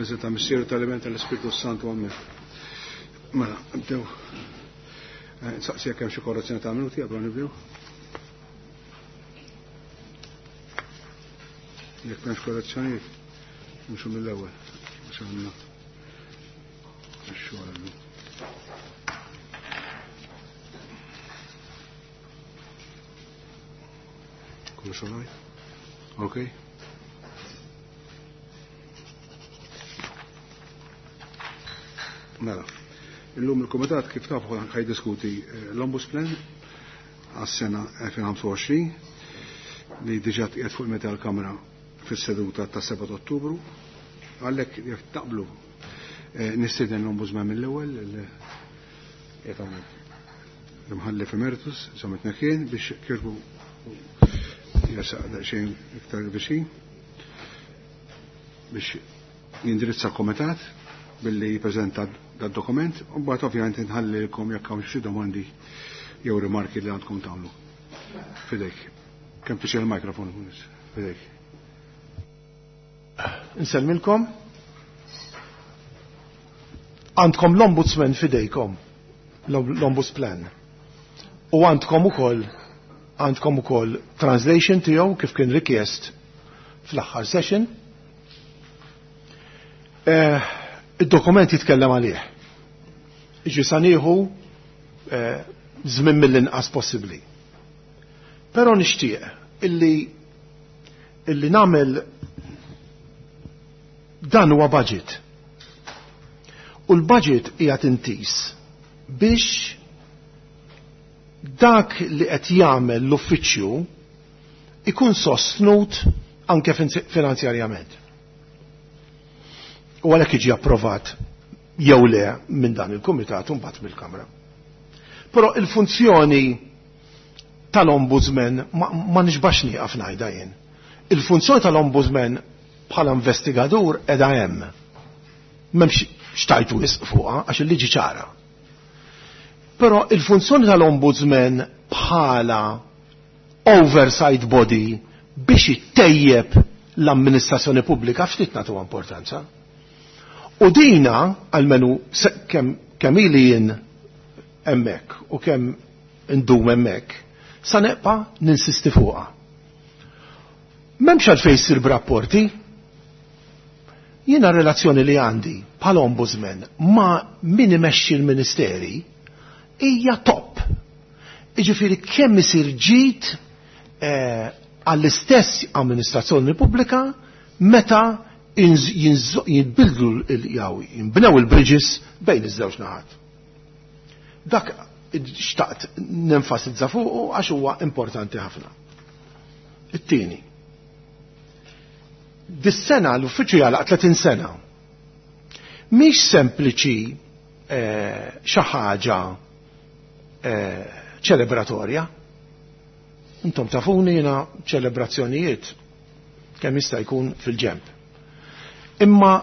Fl-isem ta' Missier tal-Iben tal-Ispirtu Santu Amen. Mela, nibdew. Eh, nsaqsi jekk hemm xi korrezzjoni ta' minuti qabel nibdew. Jekk m'hemmx korrezzjonijiet, nimxu mill-ewwel għax għandna x-xogħol illum. Kollox all right? Okay. Mela, illum il-Kumitat kif tafu ħajdiskuti eh, l-Ombudsman għas-sena 2025 li diġà tqiegħed fuq il-meta l-Kamra fis-seduta ta' 7 Ottubru. Għalhekk jekk taqblu eh, nistieden l-Ombudsman mill-ewwel qiegħed hawnhekk l-imħallef emeritus, Samet Nekien, biex kirbu jersaq daqsxejn iktar viċin biex jindirizza l-komitat billi jippreżenta dad-dokument u mbagħad ovvjament inħallilkom jekk hawn xi domandi jew rimarki li għandkom tagħmlu. Fidejk. Kemm tixel il-mikrofon fidejk. Insellmilkom. Għandkom l-Ombudsman fidejkom, l-Ombudsman. U għandkom ukoll għandkom ukoll translation tiegħu kif kien rikjest fl-aħħar session. Eh, id-dokument jitkellem għalih. Iġi sa nieħu eh, żmien mill-inqas possibbli. Però nixtieq illi illi nagħmel dan huwa budget. U l-budget hija tintis biex dak li qed jagħmel l-uffiċċju ikun sostnut anke finanzjarjament. U għalhekk jiġi approvat jew le minn dan il-kumitat u mbagħad mill-Kamra. Però il-funzjoni tal-ombudsman ma, ma nixbax nieqaf ngħidha jien. Il-funzjoni tal-ombudsman bħala investigatur edha hemm. M'hemmx xtajtu wisq fuqha għax il-liġi ċara. Però il-funzjoni tal-ombudsman bħala oversight body biex ittejjeb l-amministrazzjoni pubblika ftit nagħtuha importanza. U dina, għalmenu kemm kem ili jien hemmhekk u kemm indum hemmhekk, sa neqpa ninsisti fuqha. M'hemmx għalfejn issir b'rapporti. Jiena relazzjoni li għandi bħala ombudsman ma' min imexxi l-ministeri hija top. Iġifieri kemm isir ġid eh, għall-istess amministrazzjoni pubblika meta jinbildlu jew jinbnew il-bridges bejn iż-żewġ naħat. Dak xtaqt nenfasizza fuqu għax huwa importanti ħafna. It-tieni. Dis-sena l-uffiċċju jagħlaq 30 sena. Mhix sempliċi eh, xi ħaġa eh, ċelebratorja. Intom tafuni jiena ċelebrazzjonijiet kemm jista' jkun fil-ġemp. Imma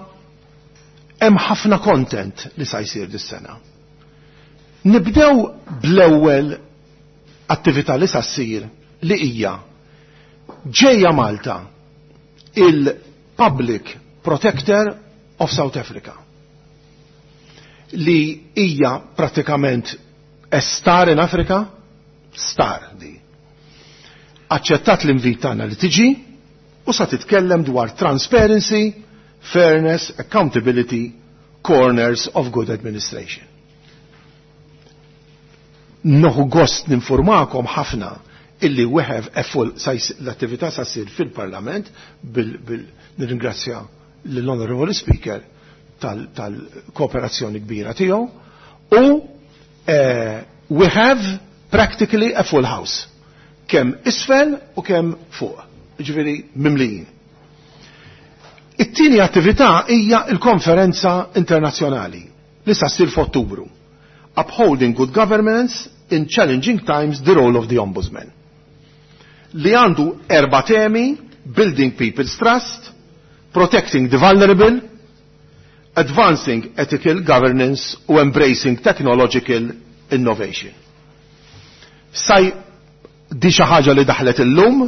hemm ħafna content li sa jsir dis-sena. Nibdew bl-ewwel attività li sa ssir li hija ġejja Malta il-Public Protector of South Africa li hija pratikament a star in Africa, star di. Aċċettat l-invit tagħna li tiġi u sa titkellem dwar transparency, fairness, accountability, corners of good administration. Nieħu gost ninformakom ħafna illi we have a full l-attività sa ssir fil-Parlament bil, bil nirringrazzja l-Honorable Speaker tal-kooperazzjoni kbira tiegħu u eh, we have practically a full house. Kemm isfel u kemm fuq. Ġifieri mimlijin. It-tieni attività hija l-konferenza internazzjonali li sa ssir f'Ottubru. Upholding Good Governance in Challenging Times, the Role of the Ombudsman. Li għandu erba temi, Building People's Trust, Protecting the Vulnerable, Advancing Ethical Governance u Embracing Technological Innovation. Saj di xi ħaġa li daħlet illum,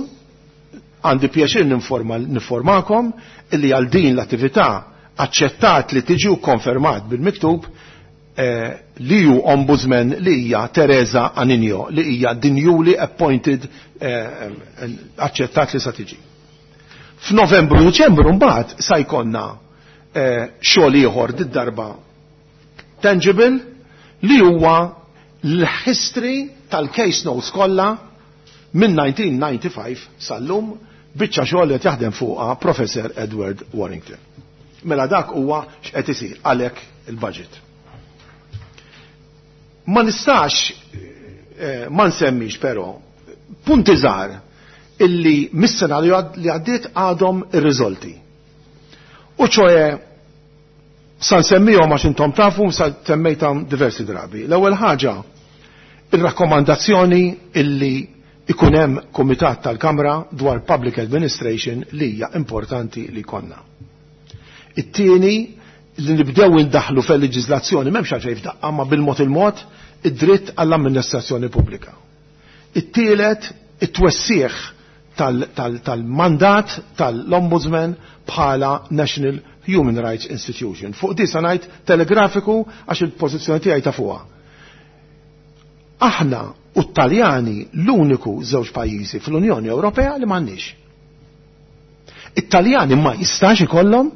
għandi pjaċir ninformakom illi għal din l-attività Aċċettat li tiġi u konfermat bil-miktub li ju ombudsman li hija Teresa Aninio, li hija the newly appointed, aċċettat li sa tiġi. F'Novembru u Diċembru mbagħad sa jkollna xogħol ieħor, did-darba tangible, li huwa l-history tal-case notes kollha minn 1995 sal-lum, biċċa xogħol li jaħdem fuqha Professor Edward Warrington. Mela dak huwa x'qed isir, għalhekk il-budget. Ma nistax ma nsemmix però punti żgħar illi mis-sena li għaddiet għadhom irriżolti. U ċoe sa nsemmihom għax intom tafu sa semmejthom diversi drabi. L-ewwel ħaġa, ir-rakkomandazzjoni illi ikun hemm kumitat tal-Kamra dwar Public Administration, li hija importanti li konna. It-tieni, li nibdew indaħlu fil-leġiżlazzjoni, m'hemmx għalfejn f'daqqa, ma bil-mod il-mod, id-dritt għall-amministrazzjoni pubblika. It-tielet, it-twessieħ tal-mandat tal-Ombudsman bħala National Human Rights Institution. Fuq di sa ngħid telegrafiku għax il-pożizzjoni tiegħi ta' fuqha. Aħna u t-Taljani l-uniku żewġ pajjiżi fl-Unjoni Ewropea li m'għandniex. It-Taljani ma jistax ikollhom,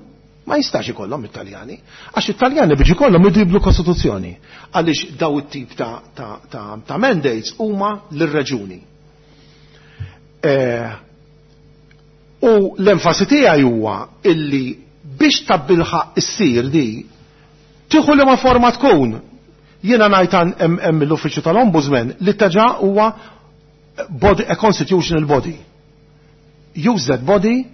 ma jistax ikollhom it-Taljani, għax it-Taljani biex ikollhom jibdlu kostituzzjoni. Għaliex daw it-tip ta' mandates huma lir-reġuni. U l-enfasi tiegħi huwa illi biex tabbilħaq issir di tieħu li ma forma tkun. Jiena ngħid hemm l-Uffiċċju tal-Ombudsman li taġa huwa body, a constitutional body. Use that body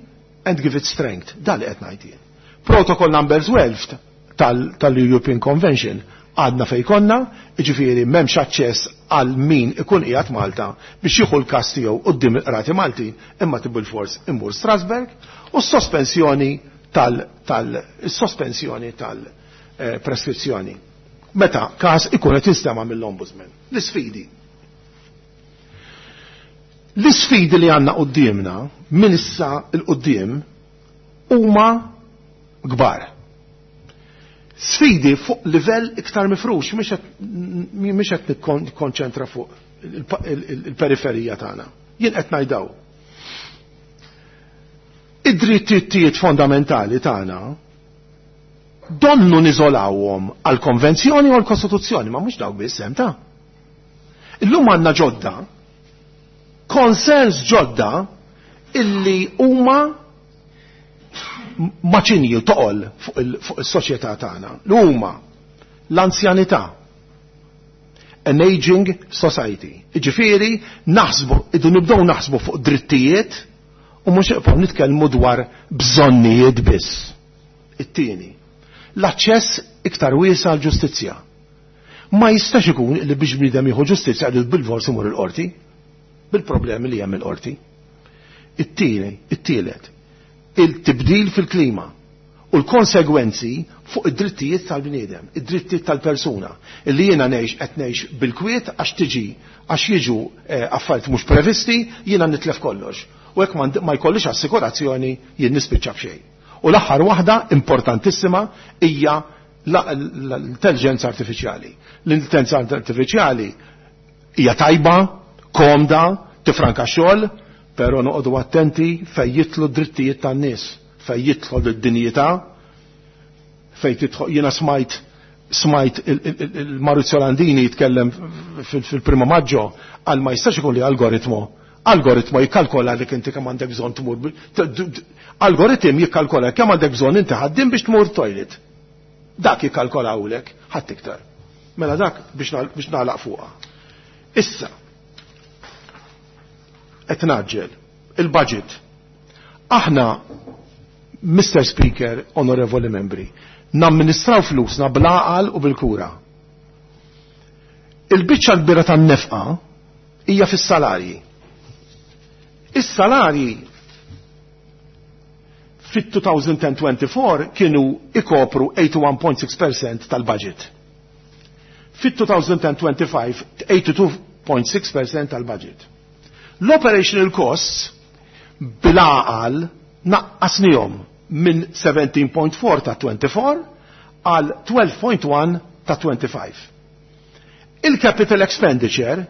and give it strength. Dan li qed ngħid jien. Protocol number 12 tal-European Convention għadna fej konna, ġifieri m'hemmx aċċess għal min ikun qiegħed Malta biex jieħu l-każ tiegħu quddiem il-qrati Malti, imma bil-fors immur Strasberg, u s-sospensjoni tal-sospensjoni tal-preskrizzjoni. Meta każ ikun qed jinstema' mill-Ombudsman. L-isfidi. L-isfidi li għandna quddiemna minn issa 'l quddiem huma kbar. Sfidi fuq livell iktar mifrux, mhix qed nikkonċentra fuq il-periferija tagħna. Jien qed ngħidaw. Id-drittijiet fondamentali tagħna donnu niżolawhom għall-konvenzjoni u għall-kostituzzjoni, ma mhux dawk biss hemm ta'. Illum għandna ġodda, concerns ġodda illi huma maċinji toqol fuq is-soċjetà tagħna. Li huma l-anzjanità, an aging society. Iġifieri naħsbu, idu nibdew naħsbu fuq drittijiet u mhux iqgħu nitkellmu dwar bżonnijiet biss. It-tieni, l-aċċess iktar wiesa' għall-ġustizzja. Ma jistax ikun li biex bniedem jieħu ġustizzja li bil-fors imur il-qorti, bil-problemi li hemm il-qorti. It-tieni, it-tielet, il-tibdil fil-klima u l-konsegwenzi fuq id-drittijiet tal-bniedem, id-drittijiet tal-persuna, illi jiena ngħix qed ngħix bil-kwiet għax tiġi għax jiġu affarijiet mhux previsti, jiena nitlef kollox. U hekk ma jkollix assikurazzjoni, jien nispiċċa b'xejn. U l-aħħar waħda importantissima hija l-intelligenza artifiċjali. L-intelligenza artifiċjali hija tajba, komda, tifranka xogħol, però noqogħdu attenti fejn jidħlu d-drittijiet tan-nies, fejn jidħlu d-dinjità, fejn tidħol. Jiena smajt il-Maurizio Landini jitkellem fil-Primo Maggio għal ma jistax ikun li algoritmo jikkalkola li inti kemm għandek bżonn tmur, algoritm jikkalkola kemm għandek bżonn inti ħaddiem biex tmur toilet. Dak jikkalkolawlek, ħadd iktar. Mela dak biex nagħlaq fuqha. Issa, qed naġġel il-budget. Aħna, Mr. Speaker, onorevoli membri, namministraw flusna bl-għaqal u bil-kura. Il-biċċa l-kbira tan-nefqa hija fis-salarji. Is-salarji fit-2024 kienu ikopru 81.6% tal-budget. Fit-2025 82.6% tal-budget. L-operational costs bil-għaqal naqqasnihom. minn 17.4 ta' 24 għal 12.1 ta' 25. Il-capital expenditure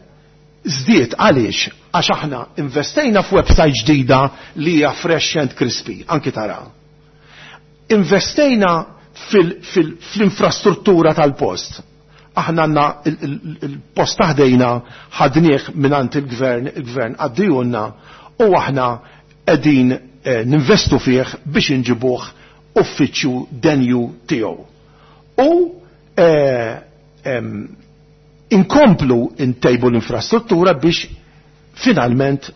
żdied għaliex għax aħna investejna f'website ġdida li hija fresh and crispy, anki tara. Investejna fl-infrastruttura tal-post. Aħna għandna il-post taħdejna ħadnieh mingħand il-gvern, il-gvern għaddijunna u aħna qegħdin ninvestu fih biex inġibuh uffiċċju denju tiegħu. U inkomplu intejbu l-infrastruttura biex finalment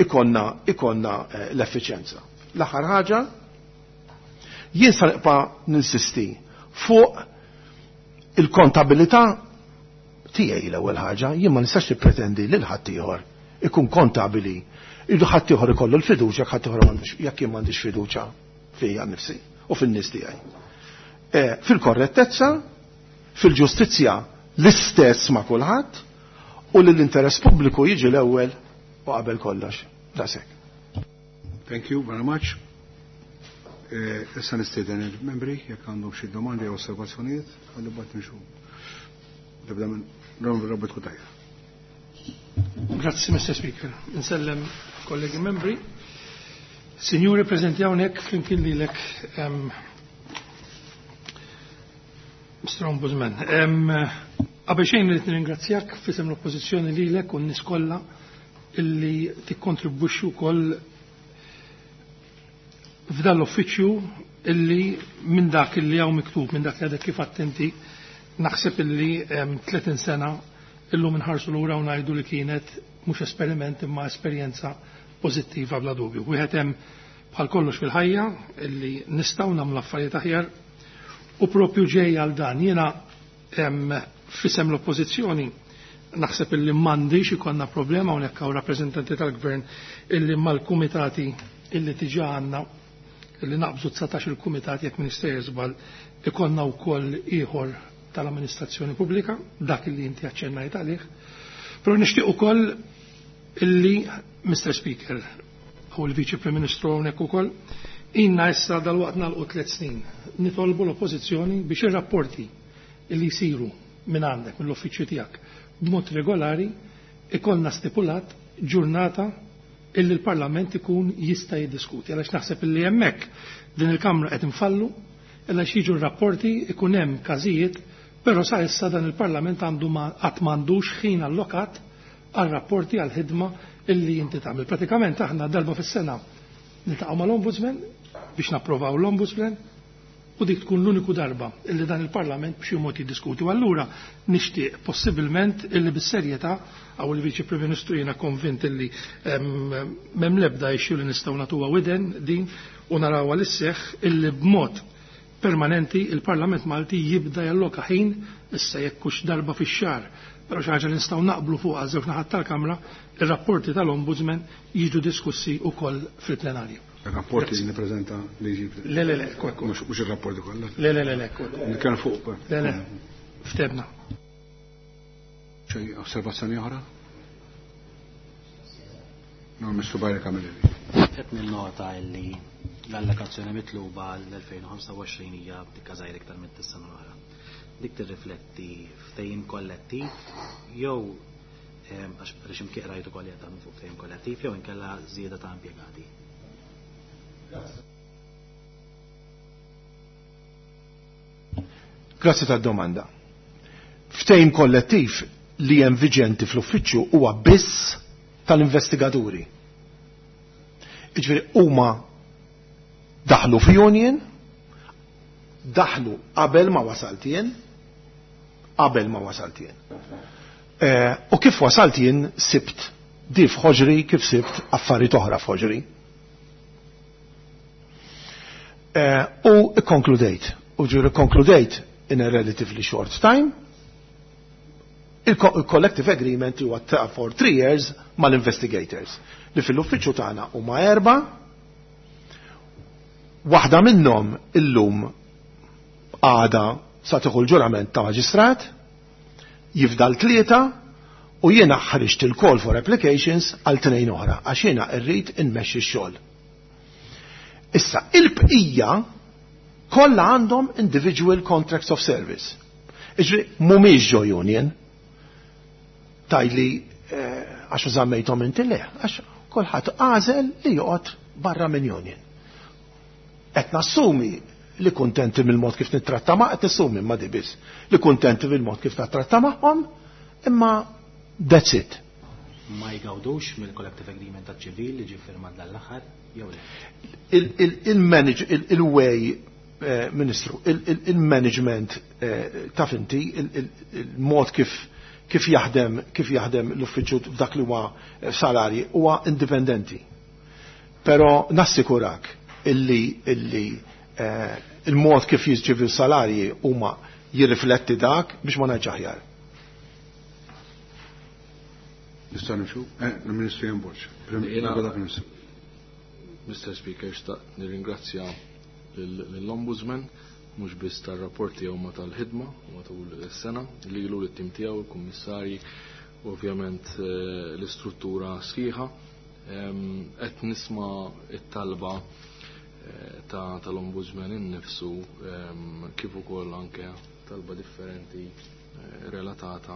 ikonna l-effiċjenza. L-aħħar ħaġa, jien sa nibqa' ninsisti fuq il-kontabilità tiegħi l-ewwel ħaġa, jien ma nistax nippretendi lil ħaddieħor ikun kontabili, idu ħaddieħor ikollu l-fiduċja, ħaddieħor m'għandux, jekk jien m'għandix fiduċja fija nnifsi u fin-nies tiegħi. Fil-korrettezza, fil-ġustizzja l-istess ma' kulħadd u li l-interess pubbliku jiġi l-ewwel u qabel kollox. Daqshekk. Thank you very much. Issa nistieden il-membri jekk għandhom xi domandi jew osservazzjonijiet, ħalli mbagħad nimxu. Nibda minn Robert Cutajar. Grazzi, Mr. Speaker. Insellem kollegi membri. Signori, prezenti hawnhekk flimkien lilek Mr. Ombudsman. Qabel xejn li nirringrazzjak f'isem l-oppożizzjoni lilek u n-nies kollha illi tikkontribwixxu wkoll f'dan l-uffiċċju illi minn dak illi hawn miktub, minn dak li għadek kif attenti, naħseb illi 30 sena illum inħarsu lura u ngħidu li kienet mhux esperiment imma esperjenza pożittiva bla dubju. Wieħed hemm bħal kollox fil-ħajja illi nistgħu nagħmlu affarijiet aħjar u propju ġej għal dan. Jiena f'isem l-oppożizzjoni naħseb illi m'għandix ikollna problema hawnhekk hawn rappreżentanti tal-gvern illi mal-kumitati illi diġà għandna illi naqbżu 19 il-kumitat jekk Minister żball ikollna wkoll ieħor tal-amministrazzjoni pubblika, dak illi inti aċċennajt għalih. Però nixtieq ukoll illi Mr. Speaker u l-Viċi Prim Ministru hawnhekk ukoll inna issa dalwaqt nagħlqu 3 snin nitolbu l-oppożizzjoni biex ir-rapporti illi jsiru minn għandek mill-uffiċċju tiegħek b'mod regolari ikollna stipulat ġurnata illi l-Parlament ikun jista' jiddiskuti. Għaliex naħseb illi hemmhekk din il-Kamra qed infallu, għaliex jiġu r-rapporti ikun hemm każijiet, però sa issa dan il-Parlament għandu qatt m'għandux ħin allokat għal rapporti għal ħidma illi inti tagħmel. Pratikament aħna darba fis-sena niltaqgħu mal-Ombudsman biex napprovaw l-Ombudsman u dik tkun l-uniku darba illi dan il-Parlament b'xi mod jiddiskuti. U allura nixtieq possibilment illi bis-serjetà għaw il-Viċi Prim Ministru jiena konvint illi m'hemm l-ebda issue li nistgħu nagħtuha widen din u narawha li sseħħ illi b'mod permanenti il-Parlament Malti jibda jalloka ħin issa jekk hux darba fix-xahar, però xi ħaġa li nistgħu naqblu fuqha żewġ naħat tal-Kamra, ir-rapporti tal-Ombudsman jiġu diskussi wkoll fil-plenarju. Il-rapporti li nippreżenta li jġib. Le, le, le, ekku. Mhux ir-rapporti kollha. Le, le, le, le, ekku. Nitkellem fuq. Le, le, ftebna. Xi osservazzjoni oħra? No, Mr. Bajra Camilleri. Qed ninnota illi l-allokazzjoni mitluba l-2025 hija dikka żgħir iktar minn tis-sena l-oħra. Dik tirrifletti ftehim kollettiv jew għax għaliex imkien rajtu ukoll qed tagħmlu fuq ftehim kollettiv jew inkella żieda ta' impjegati. Grazzi tad-domanda. Ftehim kollettiv li hemm viġenti fl-uffiċċju huwa biss tal-investigaturi. Jiġifieri huma daħlu fi union, daħlu qabel ma wasalt jien, qabel ma wasalt jien. U kif wasalt jien sibt di f'ħoġri kif sibt affarijiet oħra f'ħoġri. U ikkonkludejt, u ġuri konkludejt in a relatively short time, il-collective agreement huwa ta' for 3 years mal-investigators li fil-uffiċċju tagħna huma 4, waħda minnhom illum għada sa tieħu l-ġurament ta' maġistrat, jifdal 3 u jiena ħriġt il-call for applications għal 2 oħra għax jiena rrid inmexxi x-xogħol. Issa, il-bqija kollha għandhom individual contracts of service. Iġri, mhumiex ġo union. Tajli għax żammejthom inti le, għax kulħadd għażel li joqgħod barra minn union. Qed nassumi li kuntenti mill-mod kif nittratta ma' qed nassumi ma' dibis li kuntenti mill-mod kif nittratta magħhom, imma that's it. Ma jgawdux mill-collective agreement ta' ċivil li ġie firmat dal-aħħar jew le? Il-way, Ministru, il-management taf inti, il-mod kif jaħdem l-uffiċċju f'dak li huwa salarji huwa indipendenti. Però nassikurak illi il-mod kif jiġġivi salarji huma jirrifletti dak biex ma ngħidx aħjar. Nista' nimxu? Il-Ministru Ian Borg. Mr. Speaker, xtaqt nirringrazzja lill-Ombudsman mhux biss tar-rapport tiegħu ma tal-ħidma matul is-sena lilu lit-tim tiegħu, il-kummissarji, u ovvjament l-istruttura sħiħa. Qed nisma' it-talba tal-Ombudsman innifsu kif ukoll anke talba differenti relatata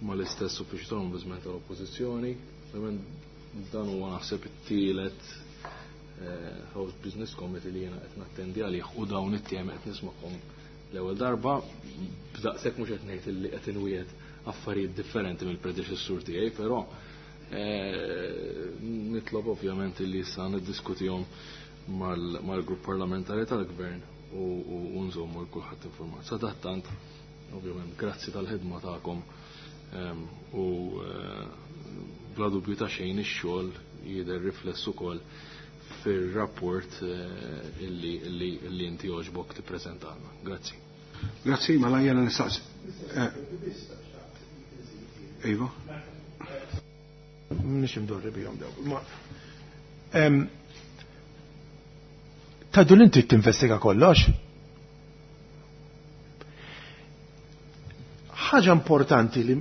mal-istess uffiċċju tal-Ombudsman tal-Oppożizzjoni. Dan huwa naħseb it-tielet House Business Committee li jiena qed nattendi għalih u dawn it-temi qed nismakom l-ewwel darba, b'daqshekk mhux qed ngħid li qed inwiegħed affarijiet differenti mill-predeċessur tiegħi, però nitlob ovvjament li issa niddiskutihom mal-grupp parlamentari tal-Gvern u nżommu l kulħadd informat. Sadattant, ovvjament, grazzi tal-ħidma tagħkom u bla dubju ta' xejn ix-xogħol jidher rifless ukoll fir-rapport illi inti għoġbok tippreżentalna. Grazzi. Grazzi, mela jiena nistaqsi. Iva. Mhix imdorri bihom dawk. Tgħidu li inti tinvestiga kollox? Ħaġa importanti li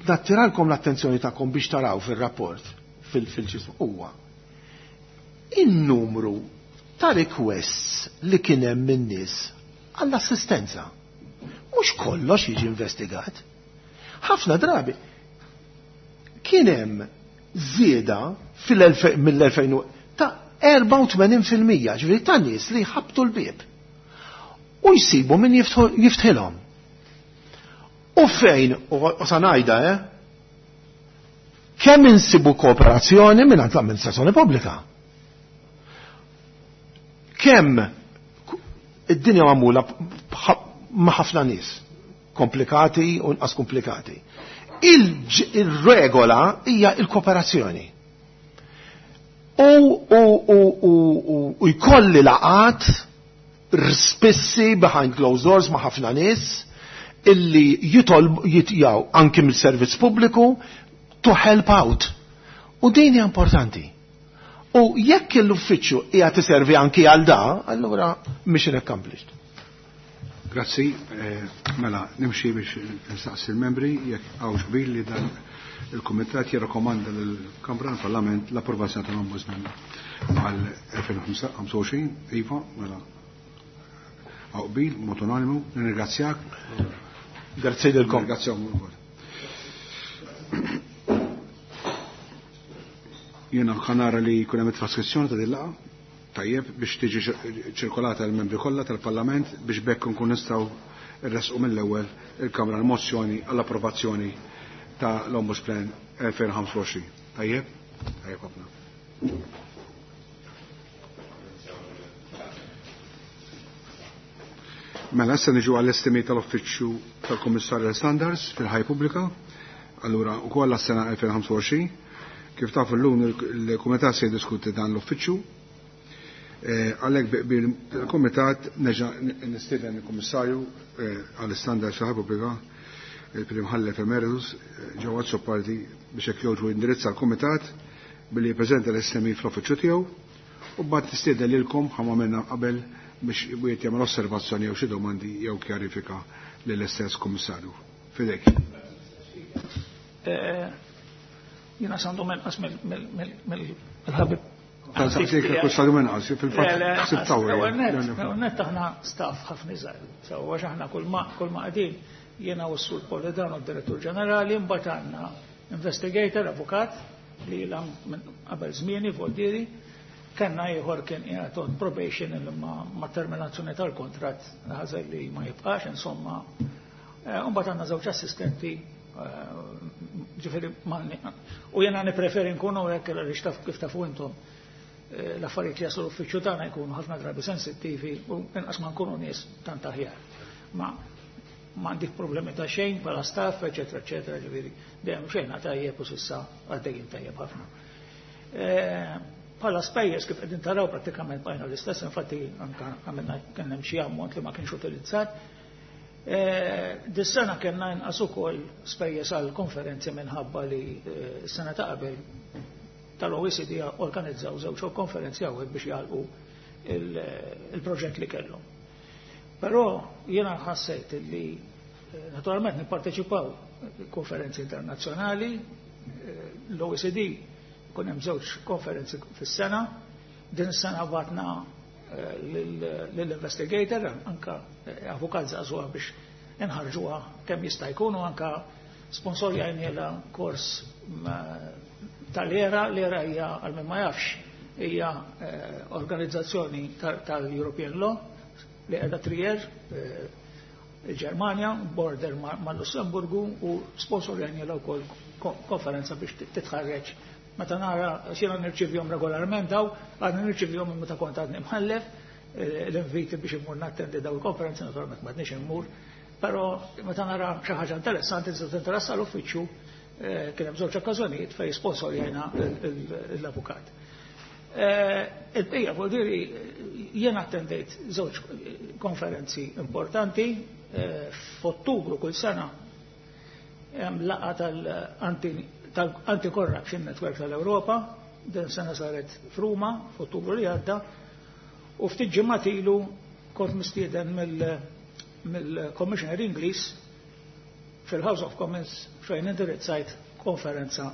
nattiralkom l-attenzjoni tagħkom biex taraw fir-rapport fil-ġismu huwa in-numru ta' requests li kien hemm min-nies għall-assistenza. Mhux kollox jiġi investigat. Ħafna drabi kien hemm żieda mill-2000 ta' 84%, ġifieri ta' nies li jħabbtu l-bieb u jsibu min jiftħilhom. U fejn, u sa ngħidha, kemm insibu kooperazzjoni mingħand l-amministrazzjoni pubblika. Kemm id-dinja magħmula ma' ħafna nies, komplikati u nqas komplikati. Il-regola hija il-kooperazzjoni. U jkolli laqat spissi behind closed doors ma' ħafna nies illi jitolb jitjaw anki mill-servizz pubbliku to help out. U din hija importanti. U jekk l-uffiċċju qiegħed iservi anki għal da, allura mission accomplished. Grazzi, mela nimxi biex nistaqsi l-membri jekk hawnx qbil li dan il-Kumitat jirrakkomanda lill-Kamra tal-Parlament l-approvazzjoni tal-Ombudsman għal 2025, iva, mela hawn qbil, mod unanimu, nirringrazzjak. Grazzi lilkom. Nirringrazzjahom ukoll. Jiena ħanara li jkun hemm traskrizzjoni ta' din laqgħa, tajjeb biex tiġi ċirkolata l-membri kollha tal-Parlament biex bekk nkun nistgħu nresqu mill-ewwel il-Kamra l-mozzjoni għall-approvazzjoni ta' l-Ombudsman 2025. Tajjeb? Tajjeb ħafna. Mela issa niġu għall-estimi tal-Uffiċċju tal-Kummissarju Standards fil-Ħajja Pubblika, allura wkoll għas-sena 2025. Kif tafu llum il-Kumitat se jiddiskuti dan l-uffiċċju. Għalhekk bil-Kumitat nerġa' nistieden il-Kummissarju għall-Standards fil-Ħajja Pubblika, il-Prim Imħallef Emeritus, Joe Azzopardi, biex hekk jogħġbu jindirizza l-Kumitat billi jippreżenta l-SMI fl-uffiċċju tiegħu u mbagħad nistieden lilkom ħa minna qabel biex wieħed jagħmel osservazzjoni jew xi domandi jew kjarifika lill-istess Kummissarju. Fidejk. Jiena sandu menqas mill-ħabib Tal-saqsik kull stadju inqas, fil-fatt sibt Net aħna staff ħafna iżgħar. Sewwa għax aħna kull ma kull ma qegħdin jiena u s-Sur Polidano d-Direttur Ġenerali, mbagħad għandna investigator, avukat, li ilha minn qabel żmieni Voldieri, kellna ieħor kien qiegħed on probation li ma terminazzjoni tal-kontratt ħażel li ma jibqax, insomma. Mbagħad għandna żewġ assistenti, ġifieri u jiena nippreferi nkunu hekk għaliex taf kif tafu intom l-affarijiet li jaslu l-uffiċċju tagħna jkunu ħafna drabi sensittivi u inqas ma nkunu nies tant aħjar. Ma m'għandix problemi ta' xejn bħala staff, eċetera, eċetera, ġifieri dejjem xejn tajjeb u s'issa għaddejjin tajjeb ħafna. Bħala spejjeż kif qegħdin taraw prattikament bqajna l-istess, infatti anke għamilna kien hemm xi ammont li ma kienx utilizzat. Dis-sena kellna inqas ukoll spejjeż għal konferenzi minħabba li s-sena ta' qabel tal-OECD organizzaw żewġ konferenzi hawnhekk biex jagħlqu il-proġett li kellhom. Però jiena ħassejt li naturalment nipparteċipaw konferenzi internazzjonali, l-OECD kun hemm żewġ konferenzi fis-sena, din is-sena batna lill-investigator, anka avukat żagħżugħa biex inħarġuha kemm jista' jkun u anka sponsorjajnielha kors tal-ERA. L-ERA hija, għal min ma jafx, hija organizzazzjoni tal-European Law li qiegħda Trier, il-Ġermanja, border mal-Lussemburgu, u sponsorjajnielha wkoll konferenza biex titħarreġ. Meta nara xina nirċivjom regolarment daw, għadni nirċivjom meta kont għadni mħallef, l-inviti biex immur nattendi daw il-konferenzi, naturalment ma għadniex immur, però meta nara xi ħaġa interessanti tista' tinteressa l-uffiċċju, kien hemm żewġ okkażjonijiet fejn sponsorjajna l-avukat. Il-bqija vuol dire jiena attendejt żewġ konferenzi importanti f'Ottubru kull sena hemm laqgħa tal-Anti-Corruption Network tal-Ewropa, din sena saret f'Ruma f'Ottubru li għadda, u ftit ġimgħat ilu kont mistieden mill-Commissioner Ingliż fil-House of Commons fejn indirizzajt konferenza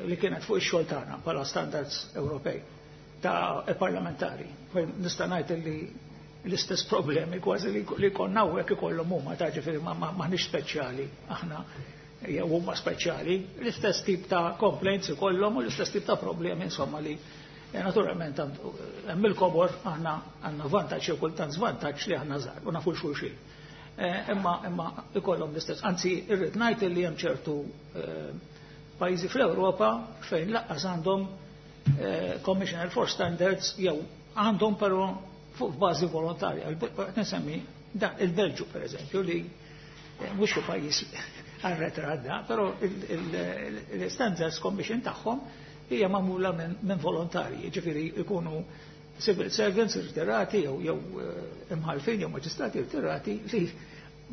li kienet fuq ix-xogħol tagħna bħala standards Ewropej ta' parlamentari. Fejn nista' ngħid li l-istess problemi kważi li konna hawnhekk ikollhom huma, ta' ġifieri maħniex speċjali aħna jew huma speċjali, l-istess tip ta' complaints ikollhom u l-istess tip ta' problemi, insomma, li naturalment hemm il-kobor, aħna għandna vantaġġ jew kultant żvantaġġ li aħna żgħar u nafu xulxin. Imma ikollhom l-istess. Anzi, irrid ngħid li hemm ċertu pajjiżi fl-Ewropa fejn lanqas għandhom Commissioner for Standards jew għandhom però fuq bażi volontarja. Nsemmi il-Belġu per eżempju, li mhux xi pajjiż arretrat da, però il-Standards Commission tagħhom hija magħmula minn volontarji, ġifieri ikunu civil servants irtirati jew imħalfin jew maġistrati irtirati li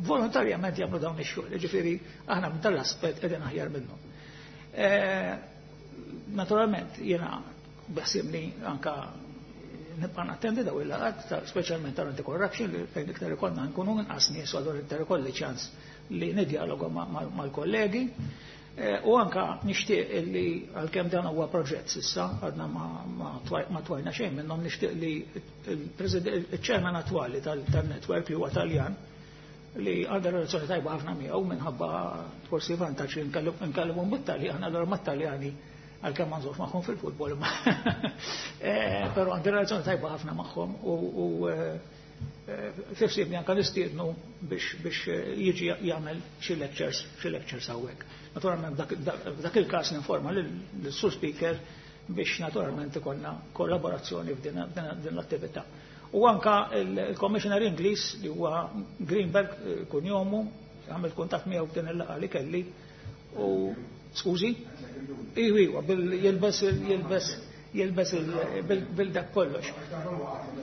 volontarjament jagħmlu dawn ix-xogħol, ġifieri aħna minn tal-aspett qegħdin aħjar minnhom. Naturalment jiena beħsiebni anka nibqa' nattendi daw il-laqgħat, speċjalment tal-anti-corruption, li fejn iktar ikollna nkunu inqas nies u allura iktar ikolli ċans li nidjaloga mal-kollegi. U anka nixtieq li, għalkemm dan huwa proġett s'issa għadna ma twajna xejn minnhom, nixtieq li il-chairman attwali tal-network, li huwa Taljan, li għandha relazzjoni tajba ħafna miegħu minħabba forsi vantaġġ li nkellmu bit-Taljan, allura mat-Taljani, għalkemm ma nżommx magħhom fil-futbol, però għandi relazzjoni tajba ħafna magħhom u fissibni anka nistiednu biex jiġi jagħmel xi lectures hawnhekk. Naturalment dak il-każ ninforma lill-Sur Speaker biex naturalment ikollna kollaborazzjoni f'din l-attività. U anka il-Commissioner Ingliż, li huwa Greenberg kunjomu, għamil kuntatt miegħu f'din il-laqgħa li kelli u, skużi? Iwa, jilbes bil-dak kollox.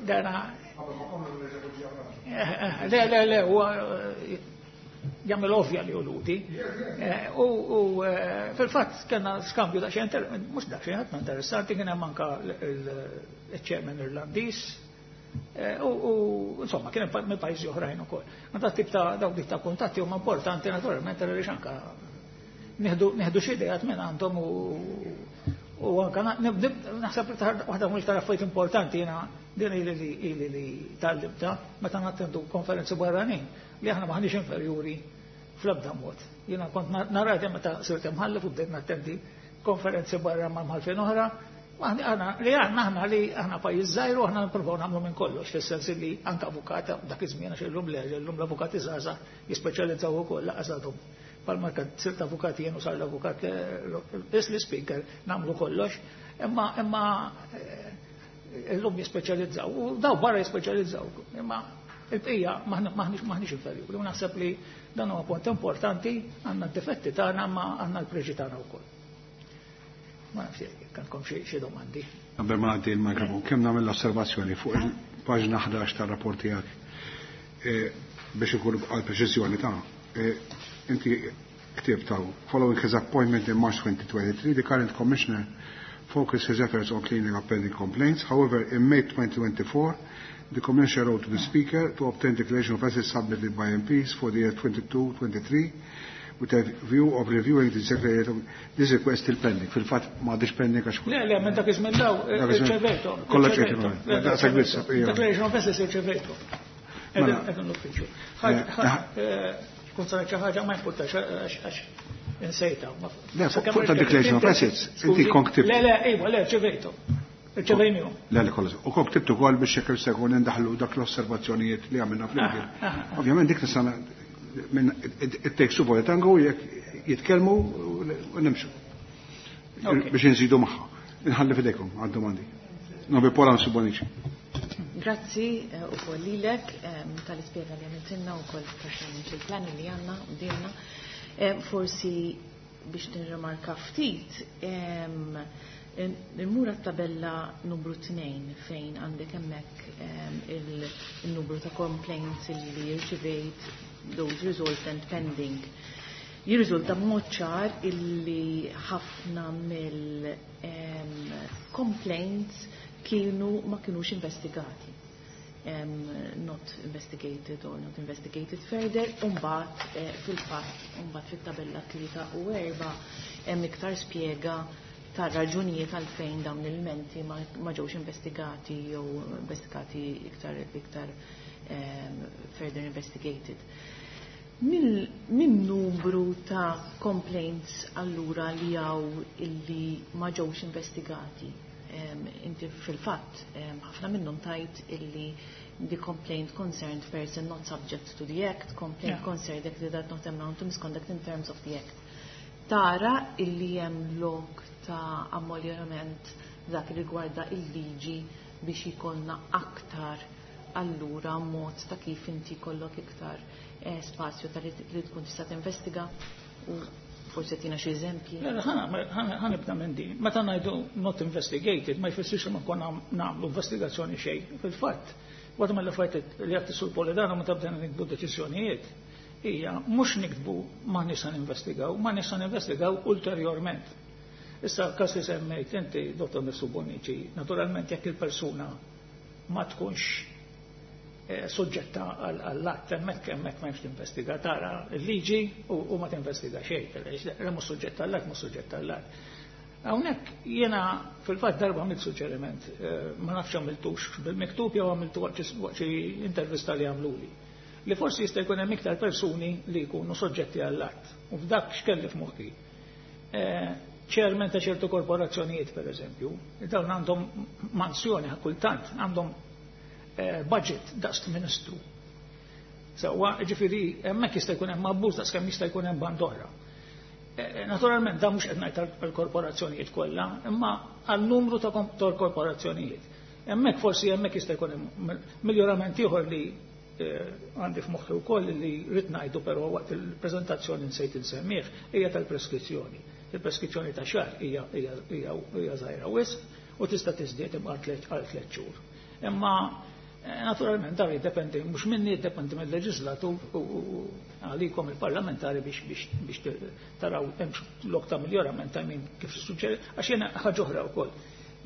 Dana le, le, le, huwa jagħmel ovvja li hu. U fil-fatt kellna skambju da xejn, mhux da xejn, ħafna interessanti, kien hemm anka il-chairman Irlandiż u insomma kien hemm minn pajjiżi oħrajn ukoll. Ma dak tip ta' dawk tip ta' kuntatti huma importanti naturalment għaliex anka nieħdu xi ideat minn għandhom u U anka naħseb li waħda mill-iktar affarijiet importanti jiena din ili li ili li tgħallimtha meta nattendu konferenzi barranin li aħna maħniex inferjuri fl-ebda mod. Jiena kont nara meta sirt imħallef u bdejt nattendi konferenzi barra ma' mħallfin oħra, aħna li aħna aħna li aħna pajjiż żgħir u aħna nippruvaw nagħmlu minn kollox, fis-sens li anke avukat dak iż-żmien għax illum le, illum l-avukati żgħażagħ jispeċjalizzaw ukoll laqas għadhom. Palma kan sirt avukat jien u sar l-avukat l-speaker nagħmlu kollox, imma imma illum jispeċjalizzaw u daw barra jispeċjalizzaw. Imma il-bqija maħniex inferjuri. U naħseb li dan huwa punt importanti, għandna d-difetti tagħna ma għandna l-preġi tagħna wkoll. Ma nafx jekk għandkom xi domandi. Qabel ma ngħaddi l-mikrofon, kemm nagħmel l-osservazzjoni fuq il-paġna 11 tar-rapport tiegħek biex ikun għal preċiżjoni ta' inti ktibt hawn, following his appointment in March 2023, the current commissioner focused his efforts on cleaning up pending complaints. However, in May 2024, the commissioner wrote to the speaker to obtain declaration of assets submitted by MPs for the year 22-23 with a view of reviewing the secretariat. This request still pending. Fil-fatt ma għadix pending għax. Le, le, minn dak iż-żmien daw irċevejtu. Kollha ċevejtu. Daqshekk biss. Declaration of assets irċevejtu. Qegħdin l-uffiċċju. Kun saret xi ħaġa ma jimpurtax għax insejta. Le, fuq ta' declaration of assets, inti kont ktibt. Le, le, iva, le, rċevejtu. Irċevejnihom. Le, le, kollox. U kont ktibt ukoll biex jekk se jkun indaħlu dak l-osservazzjonijiet li għamilna flimkien. Ovvjament dik nista' minn it takes two for the tango, jekk jitkellmu u nimxu. Biex inżidu magħha. Inħalli f'idejkom għad-domandi. Nobi Pola Bonnici. Grazzi u koll lilek tal-ispjega li għamiltilna u koll il-plan li għandna u dilna. Forsi biex nirrimarka ftit, immur tabella numru 2 fejn għandek hemmhekk il-numru ta' complaints li rċivejt, those resolved and pending. Jirriżulta b'mod ċar illi ħafna mill-complaints kienu ma kienux investigati. Not investigated or not investigated further, umbagħad fil-fatt, umbagħad fit-tabella 3 u 4 hemm iktar spjega ta' raġunijiet għalfejn dawn il-menti ma ġewx investigati jew investigati iktar further investigated. Min numru ta' complaints allura li hawn illi ma ġewx investigati? Inti fil-fatt ħafna minnhom tajt illi the complaint concerned person not subject to the act, complaint concerned act that not amount to misconduct in terms of the act. Tara illi hemm lok ta' ammoljorament dak li rigwarda il-liġi biex jkollna aktar allura mod ta' kif inti kollok iktar spazju ta' li tkun tista' tinvestiga u forsi tina xi eżempji. Le, ħa nibda minn din. Meta ngħidu not investigated ma jfissirx li ma konna nagħmlu investigazzjoni xejn. Fil-fatt, waħda mill-affarijiet li qed issur Polidano meta bdejna nikbu deċiżjonijiet hija mhux niktbu ma nista' ninvestigaw, ma nista' ninvestigaw ulterjorment. Issa każ li semmejt inti, Dottor Mifsud Bonnici, naturalment jekk il-persuna ma tkunx soġġetta għall-att, hemmhekk ma hemmx tinvestiga, tara l-liġi u ma tinvestiga xejn, le mhux soġġetta għall-att, mhux soġġetta għall-att. Hawnhekk jiena fil-fatt darba għamilt suġġeriment, ma nafx għamiltux bil-miktub jew għamiltu waqt xi intervista li għamluli, li forsi jista' jkun hemm iktar persuni li jkunu soġġetti għall-att. U f'dak x'kelli f'moħħi. Chairman ta' ċertu korporazzjonijiet, per eżempju, dawn għandhom mansjoni kultant, għandhom budget daqs ministru. Sewwa, ġifieri, hemmhekk jista' jkun hemm abbuż daqs kemm jista' jkun hemm bandora. Naturalment, dan mhux qed ngħid għall-korporazzjonijiet kollha, imma għal-numru ta' korporazzjonijiet. Hemmhekk forsi hemmhekk jista' jkun hemm miljorament ieħor li għandi f'moħħi wkoll li rrid ngħidu però waqt il-preżentazzjoni nsejt insemmih hija tal-preskrizzjoni. Il-preskrizzjoni ta' xahar hija żgħira wisq u tista' tiżdied imma għal 3 xhur. Imma naturalment dan jiddependi mhux minni, jiddependi mill-leġislatur u għalikom il-parlamentari biex taraw hemm lok ta' miljorament ta' min kif suġġeri, għax jiena ħaġa oħra wkoll.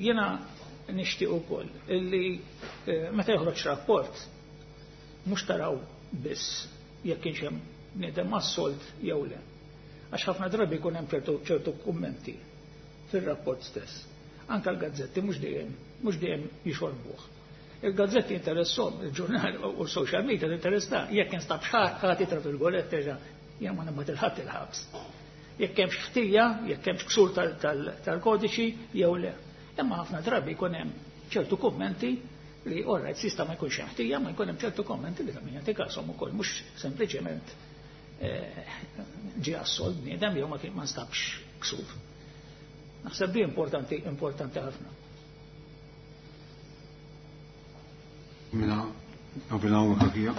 Jiena nixtieq ukoll illi meta joħroġ rapport mhux taraw biss jekk kienx hemm bniedem assolt jew le. Għax ħafna drabi jkun hemm ċertu kummenti. fir-rapport stess. Anke l-gazzetti mhux dejjem mhux dejjem jixorbuh. Il-gazzetti interessom, il-ġurnal u social media interessa, jekk instab ħadd tra fil-golet terġa' jien ma nibgħat il-ħadd il-ħabs. Jekk hemmx ħtija, jekk hemmx ksur tal-kodiċi jew le. Imma ħafna drabi jkun hemm ċertu kummenti li all right sista ma jkunx hemm ħtija, ma jkun hemm ċertu kummenti li ta' min jagħti kasom ukoll mhux sempliċement ġie assolt bniedem jew ma kien ma nstabx ksur. Naħseb di importanti, importanti ħafna. Mela, nofilhawn kakija.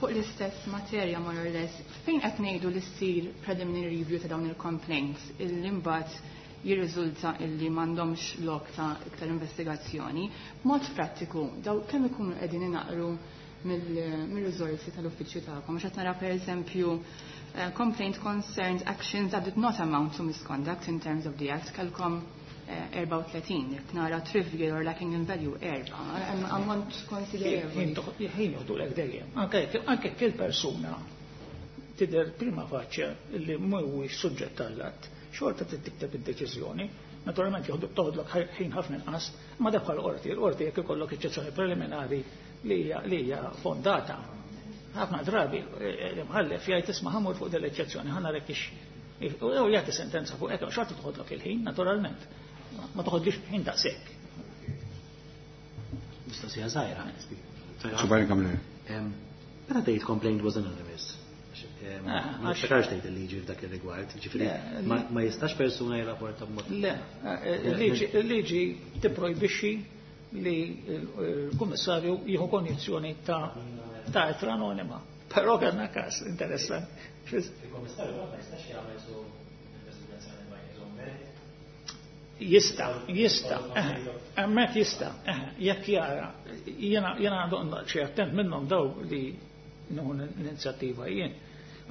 Fuq l-istess materja more or less, fejn qed ngħidu li ssir preliminary review ta' dawn il-complaints illi mbagħad jirriżulta illi m'għandhomx lok ta' iktar investigazzjoni, b'mod prattiku daw kemm ikunu qegħdin inaqru mill-riżorsi tal-uffiċċju tagħkom. Għax qed nara pereżempju complaint concerned actions that did not amount to misconduct in terms of the act kellkom 34, jekk nara trivial or lacking in value erba', hemm ammont konsiderevoli. Ħin joħdulek dejjem. Anke jekk il-persuna tidher prima faċċja li mhuwiex suġġett tal-att, xorta trid tikteb id-deċiżjoni. Naturalment joħdu toħodlok ħin ħafna inqas, ma dak bħal qorti, il-qorti jekk ikollok eċċezzjoni preliminari li hija fondata. Ħafna drabi l-imħallef jgħid isma' ħamur fuq din l-eċċezzjoni, ħa narek ix u jagħti sentenza fuq hekk, xorta toħodlok il-ħin, naturalment. Ma toħodlix ħin daqshekk. Mistoqsija żgħira. Xubajn kamle. Meta tgħid complaint was anonymous? Ma niftakarx tgħid il-liġi f'dak ir-rigward, ġifieri ma jistax persuna jirrapporta b'mod. Le, il-liġi tipprojbixxi li l-kummissarju jieħu konjizzjoni ta' ittra anonima. Però kellna każ interessanti. Il-kummissarju ma jistax jagħmel su investigazzjoni ma jieħu merit. Jista, jista, hemmhekk jista, jekk jara, jiena għandu xi attent minnhom daw li nieħu l-inizjattiva jien.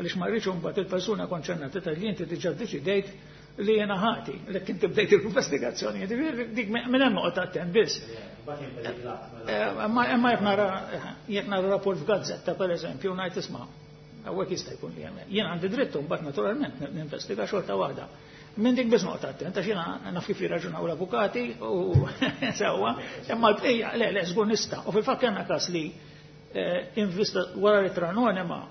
Għaliex ma rridx imbagħad il-persuna konċernata tgħid li inti diġà ddeċidejt li jiena ħati, li inti bdejt l-investigazzjoni, dik minn hemm noqgħod attent biss. Imma jekk nara rapport f'gazzetta pereżempju ngħid isma' hawnhekk jista' jkun li hemm. Jien għandi dritt mbagħad naturalment ninvestiga xorta waħda. Minn dik biss noqgħod attent għax jiena naf kif jirraġunaw l-avukati u sewwa, imma l-bqija le le żgur nista'. U fil-fatt kellna każ li invista wara l-ittra anonima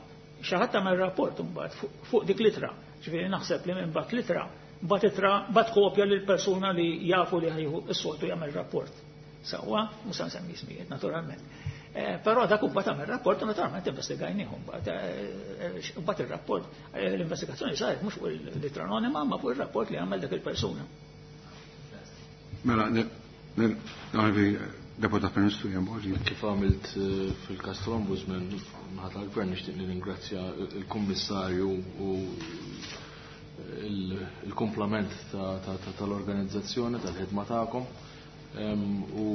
xi ħadd tagħmel rapport imbagħad fuq dik l-ittra. Ġifieri naħseb li minn bagħat l-ittra, bagħat ittra, bagħat kopja lil persuna li jafu li ħajħu s-soltu jagħmel rapport. Sewwa, mhux se nsemmi ismijiet naturalment. Però dak imbagħad għamel rapport u naturalment investigajnieh imbagħad. Imbagħad ir-rapport, l-investigazzjoni saret mhux fuq l-ittra anonima, ma fuq ir-rapport li għamel dak il-persuna. Mela, Deputat Prim Ministru Ian Borg. Kif għamilt fil-każ tal-Ombudsman, naħa tal-Gvern nixtieq nirringrazzja il-Kummissarju u il-komplament tal-organizzazzjoni, tal-ħidma tagħkom. U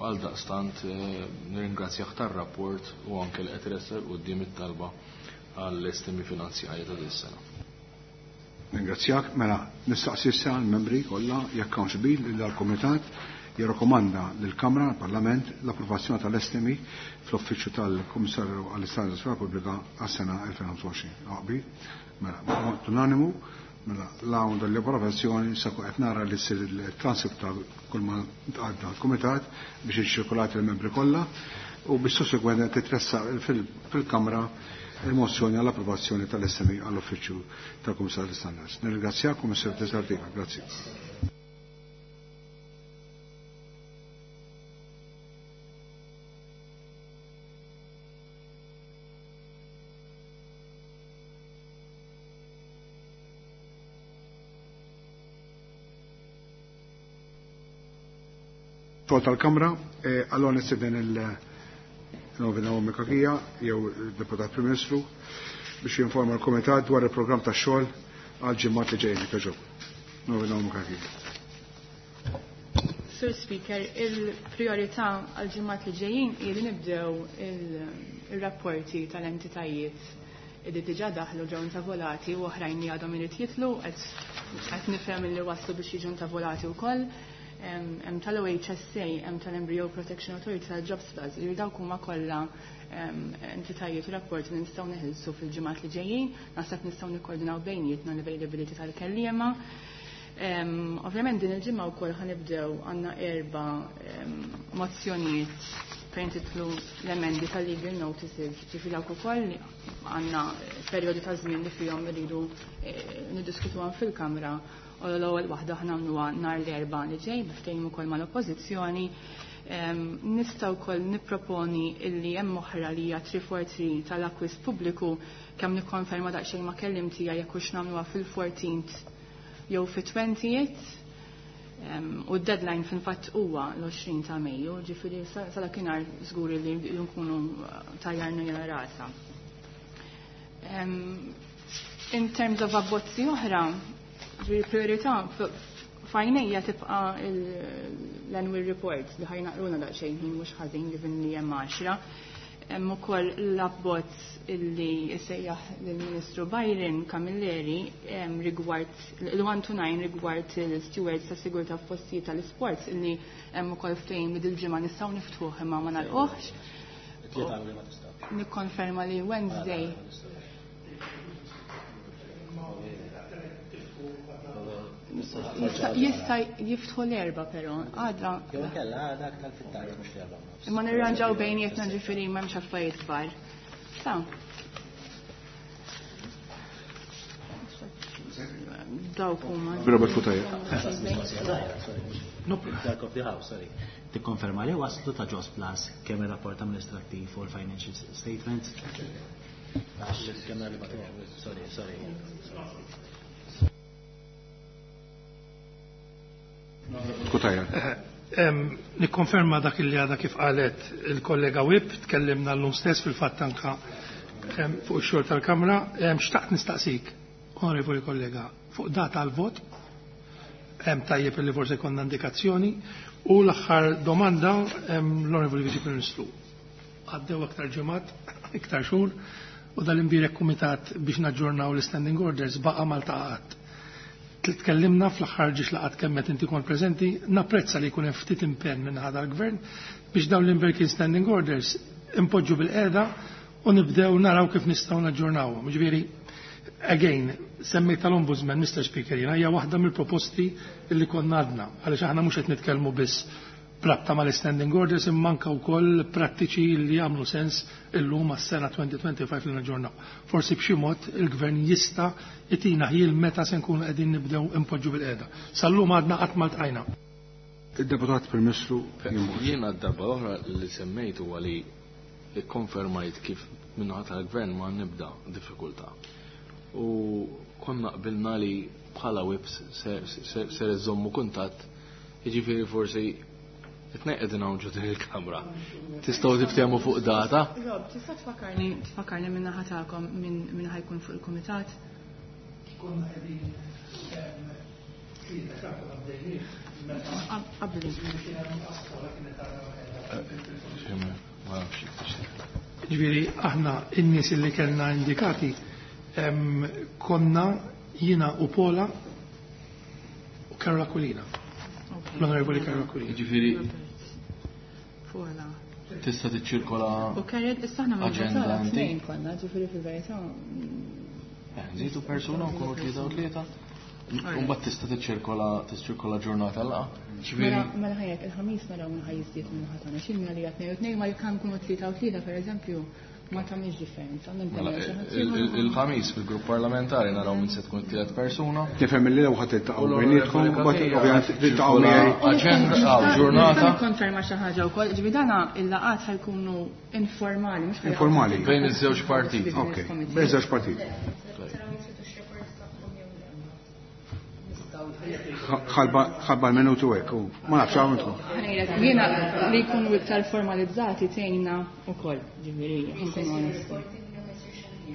għal daqstant nirringrazzjah tar-rapport u anke li qed iressel quddiem it-talba għall-estimi finanzjarji ta' din is-sena. Ringrazzjak, mela nistaqsi issa l-membri kollha jekk hawnx bil li dal-Kumitat jirrakkomanda lill-Kamra l-Parlament l-approvazzjoni tal-estimi fl-Uffiċċju tal-Kummissarju għall-Istandards fil-Pubblika għas-sena 2025. Aqbi, mela b'mod unanimu, mela l-hawn dal-approvazzjoni sa qed nara li ssir il-transcript ta' kull ma għadda l-Kumitat biex iċċirkulati l-membri kollha u biex sussegwentament titressaq fil-Kamra il-mozzjoni għall-approvazzjoni tal-estimi għall-Uffiċċju tal-Kummissarju għall-Istandards. Nirringrazzjakom, Mr. Tesartiva. Grazzi. Xogħol tal-Kamra, allora nistieden il-Novena Mikakija jew il-Deputat Prim Ministru biex jinforma l-Kumitat dwar il-programm tax-xogħol għal ġimgħat li ġejjin kieġob. Novena Mikakija. Sur Speaker, il-priorità għal ġimgħat li ġejjin hi li nibdew il-rapporti tal-entitajiet li diġà daħlu ġew intavolati u oħrajn li għadhom irid jitlu, qed nifhem li waslu biex jiġu intavolati wkoll. Hemm tal-OHSA, hemm tal-Embryo Protection Authority, tal-Jobs Plus, li dawk huma kollha entitajiet u rapporti li nistgħu neħilsu fil-ġimgħat li ġejjin, naħseb nistgħu nikkoordinaw bejnietna l-availability tal-kelliema. Ovvjament din il-ġimgħa wkoll ħanibdew għandna 4 mozzjonijiet fejn titlu l-emendi tal-legal notices, ġifieri dawk ukoll għandna perjodi ta' żmien li fihom iridu niddiskutuhom fil-Kamra. U l-ewwel waħda aħna nagħmluha nhar l-Erbgħa li ġej biftehim ukoll mal-Oppożizzjoni. Nista' wkoll nipproponi illi hemm oħra li hija 343 tal-akkwist pubbliku, kemm nikkonferma daqsxejn ma' kellim tiegħi jekk hux nagħmluha fil-14th jew fit-20th. U d-deadline fil-fatt huwa l-20 ta' Mejju, ġifieri sa dakinhar żgur li nkunu tajjarna jena rasa. In terms of abbozzi oħra, ġifieri priorità f'għajnejja tibqa' l-annual report li ħajnaqruna daqsxejn ħin mhux ħażin given li hemm 10. Hemm ukoll l-abbozz illi jsejjaħ lill-Ministru Byron Camilleri rigward il-1 to 9 rigward il-stewards ta' sigurtà f'postijiet tal-isports illi hemm ukoll ftehim li dil-ġimgħa nistgħu niftħuh imma ma nagħlquhx. Nikkonferma li Wednesday. Jista' jiftħu l-Erbgħa però, għada. Jew inkella għada aktar fit-tard mhux l-Erbgħa u nofs. Imma nirranġaw bejnietna ġifieri m'hemmx affarijiet kbar. Sa. Dawk huma. Robert Cutajar. Dark of the House, sorry. Tikkonferma li waslu ta' Jos Plus kemm ir-rapport amministrattiv u l-financial statements? Għax kemm li bagħtuhom. Sorry, sorry. Cutajar. Nikkonferma dak li għadha kif qalet il-kollega Whip, tkellimna llum stess fil-fatt anka fuq ix-xogħol tal-Kamra. Xtaqt nistaqsik, onorevoli kollega, fuq data għal-vot, hemm tajjeb li forsi konna indikazzjoni, u l-aħħar domanda l-Onorevoli Viċi Prim Ministru. Għaddew aktar ġimgħat, iktar xhur, u dal-imbierek kumitat biex naġġornaw l-standing orders baqa' Malta qatt. Tkellimna fl-aħħar ġiex laqat kemm qed inti kont preżenti, napprezza li jkun hemm ftit impenn minn ħadd għall-gvern biex dawn l-imberkin standing orders impoġġu bil-qiegħda u nibdew naraw kif nistgħu naġġornawhom. Ġifieri, again, semmejt tal-Ombudsman, Mr. Speaker, jiena hija waħda mill-proposti li konna għadna, għaliex aħna mhux qed nitkellmu biss brabta mal-standing orders imma anke wkoll prattiċi li jagħmlu sens illum għas-sena 2025 li naġġornaw. Forsi b'xi mod il-gvern jista' jtina ħjiel meta se nkunu qegħdin nibdew impoġġu bil-qiegħda. Sal-lum għadna qatt ma ltqajna. Il-deputat Prim Ministru Jimbox. Jiena d-darba l-oħra li semmejt huwa li ikkonfermajt kif min-naħa tal-gvern ma nibda diffikultà. U konna qbilna li bħala whips ser iżommu kuntatt, jiġifieri forsi it-tnejn qegħdin hawn ġo din il-kamra. Tistgħu tiftehmu fuq data? Rob, tista' tfakkarni minn naħa tagħkom min ħajkun fuq il-kumitat? Konna qegħdin tlieta xahar għaddejnieh meta Qabli. Ġifieri aħna n-nies li kellna indikati konna jiena u Pola u Karol Aquilina. L-Onorevoli Karol Aquilina. Ġifieri Pola. Tista' tiċċirkola U Karol, issa aħna ma aġenda nġorra inti? tnejn konna, ġifieri fil-verità. Nżidu persuna u nkunu tlieta u tlieta. U mbagħad tista' tiċċirkola ġurnata laqgħa. Ġifieri Mela ħajjek il-ħamis naraw min ħaj jiżdied minn ħadd tagħna. Xi li qed ngħidu tnejn ma jekk nkunu tlieta u tlieta pereżempju ma tagħmilx differenza. Mela, il-ħamis fil-grupp parlamentari naraw min se tkun tielet persuna. Tifhem li lew ħadd tiltaqgħu U l-onorevoli bejnietkom, u mbagħad Katija ovvjament tiltaqgħu ċirkola miegħi. Aġenda għaw ġurnata. Nista' nikkonferma xi ħaġa wkoll, ġifieri dana il-laqgħat ħajkunu informali, mhux ħajkunu Informali. Bejn iż-żewġ partiti. Ok, bejn iż-żewġ partiti. Ħalba l-minutu hekk, u ma nafx hawn intkom. Jiena li jkunu iktar formalizzati tgħinna wkoll, ġifieri, nkunu onesti.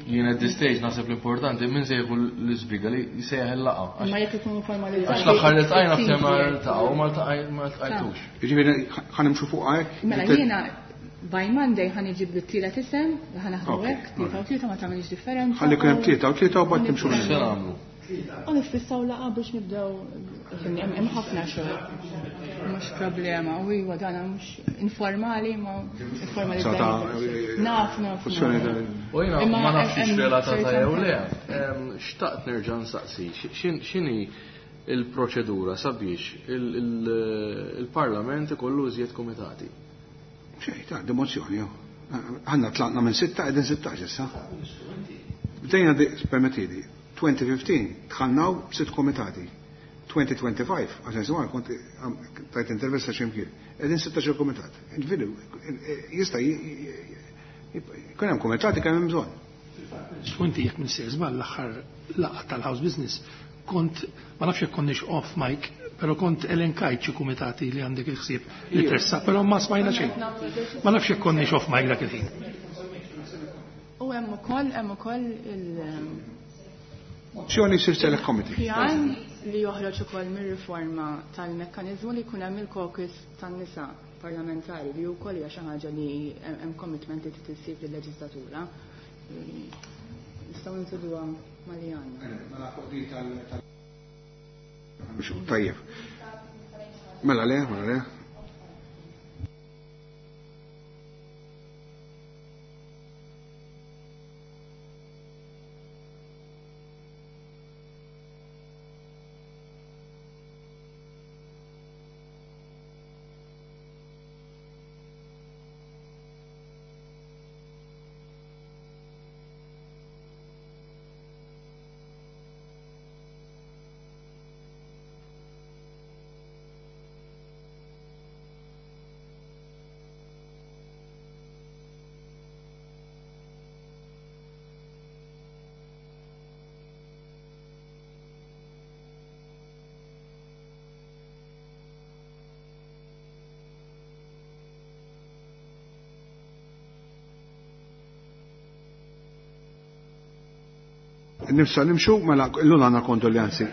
Jien at this stage naħseb l-importanti min se jieħu l-isbriga li jsejjaħ il-laqgħa. Imma jekk ikunu formalizzati. Għax l-aħħar li ltqajna f'tema ma ltaqgħu, ma ltqajtux. Jiġifieri ħanimxu fuq hekk? Mela jiena by Monday ħan iġib t-tielet isem, ħan naħdmu hekk, tlieta u tlieta ma tagħmilx differenza. Ħalli jkun hemm tlieta u tlieta u mbagħad timxu minn Se nagħmlu? U nifissaw laqa biex nibdew, fimni, hemm ħafna xogħol. Mhux problema, u iwa dana mhux informali ma informalizzati. Sa ta' Naf, naf, funzjoni naf. ta' U jiena Imma ma nafx hemm relatata ċerta jew le. Xtaqt nerġa' nsaqsi, x'inhi il-proċedura sabiex il-Parlament ikollu iżjed komitati? Xejn, ta' dimozzjoni. Għanna tlaqna minn 6 qegħdin 16 issa. Bdejna permettili, 2015 dħalnaw b'sitt komitati. 2025, għaxan sewar kont tajt intervista x'imkien, qegħdin 16 komitat. Ġifieri jista' jkun hemm komitati kemm hemm bżonn. Inti jekk minn sejr żball l-aħħar laqgħa tal-House Business kont ma nafx jekk konniex off mic, però kont elenkajt xi kumitati li għandek il-ħsieb li tressa, però ma smajna xejn. Ma nafx jekk konniex off mic dak il-ħin. U hemm ukoll il- Mozzjoni sir select committee. Pjan li joħroġ ukoll mir-riforma tal-mekkaniżmu li jkun hemm il-caucus tan-nisa parlamentari li wkoll hija xi ħaġa li hemm commitment li trid issir fil-leġislatura. Nistgħu nżiduha ma' li għandna. Mela fuq din tal- Tajjeb. Mela le, mela le. Nifsa nimxu, mela illum għandna kondoljanzi.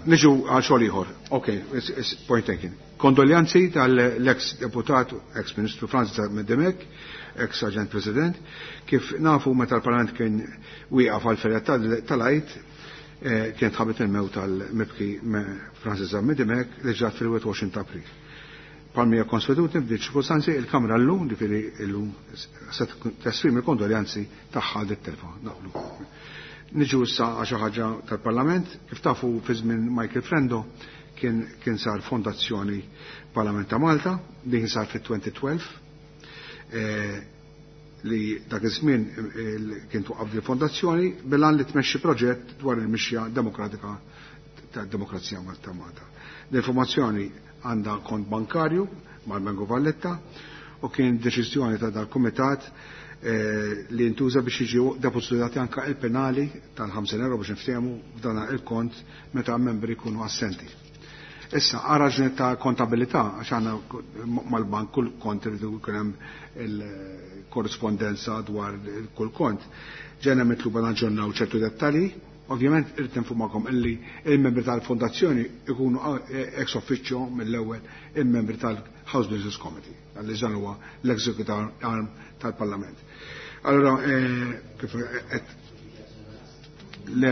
Niġu għal xogħol ieħor. Ok, it's point taken. Kondoljanzi tal-ex deputat, ex ministru Franz Demek, ex aġent president, kif nafu meta l-Parlament kien wieqaf għal ferja tal-Għid, kien tħabbet il-mew tal-mibki Francis Demek li ġrat fil-21 ta' April. Palmija konsuetudni f'din ċirkustanzi il-Kamra llum, ġifieri llum se tesprimi l-kondoljanzi tagħha dit-telfa. Naqblu. Niġu issa għal xi ħaġa tal-Parlament, kif tafu fi żmien Michael Frendo kien kien sar Fondazzjoni Parlament ta' Malta, din sar fit-2012 eh, li dak iż-żmien eh, kien twaqqaf din fondazzjoni bilan li tmexxi proġett dwar il-mixja demokratika tad-demokrazija ta' Malta. L-informazzjoni għandha kont bankarju mal-Bank Valletta u kien deċiżjoni ta' dal-kumitat eh, li ntuża biex jiġi depożitati anka il-penali tal-50 euro biex niftehmu f'dan il-kont meta membri jkunu assenti. Issa, għal ta' kontabilità, għax għandna mal-bank kull kont irridu jkun hemm il-korrispondenza dwar kull kont. Ġena mitluba naġġornaw ċertu dettalji. Ovvjament irrid informakom illi il-membri tal-fondazzjoni ikunu ex officio mill-ewwel il-membri tal-House Business Committee, għalli dan huwa l-executive arm tal-Parlament. Allora, kif qed le,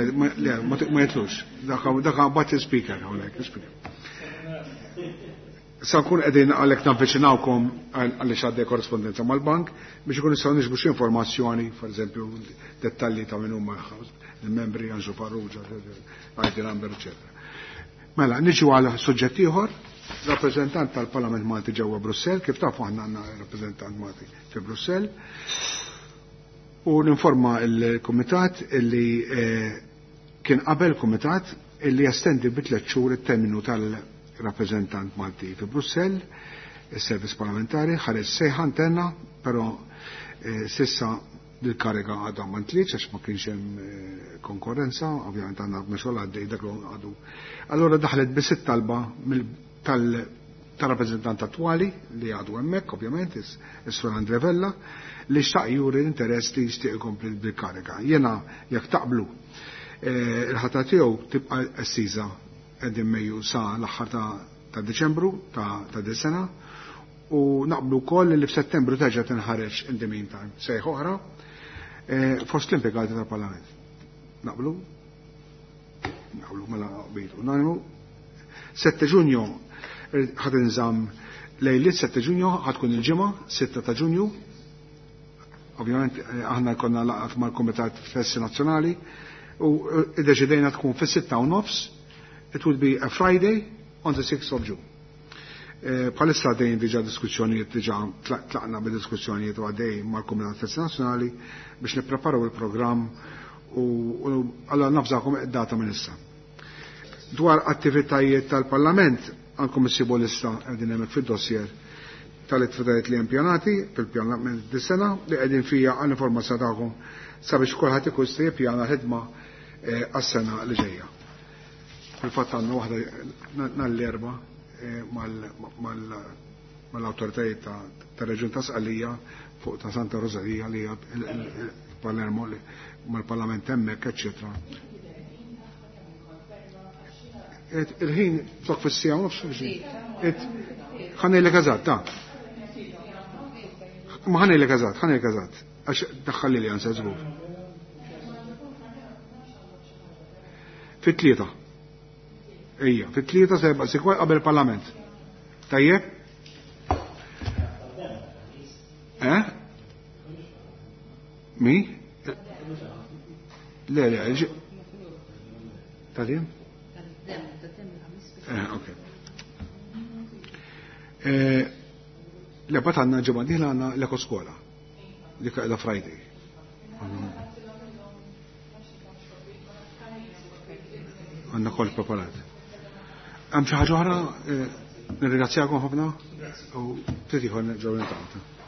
ma jitlux, dak bat il-speaker hawnhekk, il-speaker. Sa nkun qegħdin għalhekk navviċinawkom għaliex għaddej korrespondenza mal-bank biex ikun nistgħu niġbu xi informazzjoni, pereżempju dettalji ta' min huma il-membri Anġu Farrugia, ID number, eċetera. Mela, niġu għal suġġett ieħor, rappreżentant tal-Parlament Malti ġewwa Brussell, kif tafu aħna għandna rappreżentant Malti fi Brussell. U ninforma l-Kumitat illi kien qabel kumitat illi jestendi bi tliet xhur it-terminu tal-rappreżentant Malti fi Brussell, il-servizz parlamentari, ħareġ sejħa interna, però sissa l-kariga għadha ma ntlietx għax ma kienx hemm konkurrenza, ovvjament għandna xogħol għaddej dak għadu. Allora daħlet biss it-talba tal-rappreżentant attwali li għadu hemmhekk, ovvjament, is-Sur Andre Vella, li xtaq juri l-interess li jixtieq ikompli bil-kariga. Jiena jekk taqblu il-ħatra tiegħu tibqa' estiża qegħdin Mejju sa l-aħħar ta' Deċembru ta' din sena u naqblu wkoll li f'Settembru terġa' tinħareġ in the meantime sejħ oħra fost l-impjegati tal-Parlament. Naqblu? Naqblu mela qbilu. Unanimu. 7 Ġunju ħad inżamm lejliet 7 Ġunju ħad tkun il-ġimgħa 6 ta' Ġunju. Ovvjament aħna jkollna laqgħat mal-Kumitat Festi Nazzjonali u iddeċidejna tkun fis-6:30. It would be a Friday on the 6th of June. Bħalissa għaddejn diġa diskussjonijiet, diġa tlaqna bid-diskussjonijiet u għaddej mal-Kumitat Festi Nazzjonali biex nippreparaw il-programm u għalla nafżakom id-data minn issa. Dwar attivitajiet tal-Parlament, għandkom issibu lista qegħdin hemmhekk fid-dossier tal-attivitajiet li hemm pjanati fil-pjanament dis-sena li qegħdin fija għall-informazzjoni tagħkom sabiex kulħadd ikun jista' jippjana l-ħidma għas-sena li ġejja. Fil-fatt għandna waħda nhar l-Erbgħa mal-awtoritajiet tar-Reġjun ta' Sqallija fuq ta' Santa Rosalia li hija Palermo mal-Parlament hemmhekk, eċċetera. Il-ħin tok fis-sija u nofs ħa ngħidlek eżatt, ta' Ma ħa ngħidlek eżatt, ħa ngħidlek eżatt, għax daħħalli li għansa żgur. Fit-3. Ejja, fit-3 seba' sikwa qabel parlament. Tajjeb? Eh? Mi? Le, le, Tadim? Ok. Le, bat għanna ġimgħa dieħla għanna l-Eko Skola. Dik qiegħda Friday. Għanna kol preparat. Hemm xi ħaġa oħra, nirringrazzjakom ħafna u ftit ieħor nerġgħu niltaqgħu.